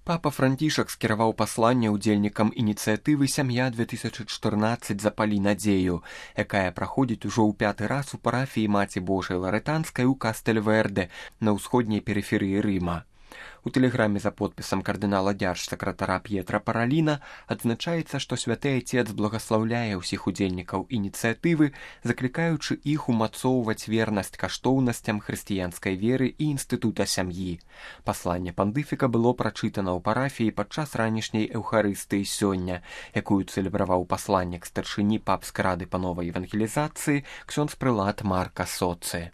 Папа Францішак скіраваў пасланне ўдзельнікам ініцыятывы «Сям'я-2014. Запалі надзею», якая праходзіць ужо ў 5-ы раз у парафіі Маці Божай Ларэтанскай у Кастэльверде на ўсходняй перыферыі Рыма. У тэлеграме за подпісам кардынала дзяржсакратара П'етра Параліна адзначаецца, што святы Айцец благаслаўляе ўсіх удзельнікаў ініцыятывы, заклікаючы іх умацоўваць вернасць каштоўнасцям хрысціянскай веры і інстытута сям'і. Пасланне пандыфіка было прачытана ў парафіі падчас ранішняй эўхарыстыі сёння, якую цэлебраваў пасланнік старшыні папскай рады па новай евангелізацыі ксёндз прылад Марка Соцы.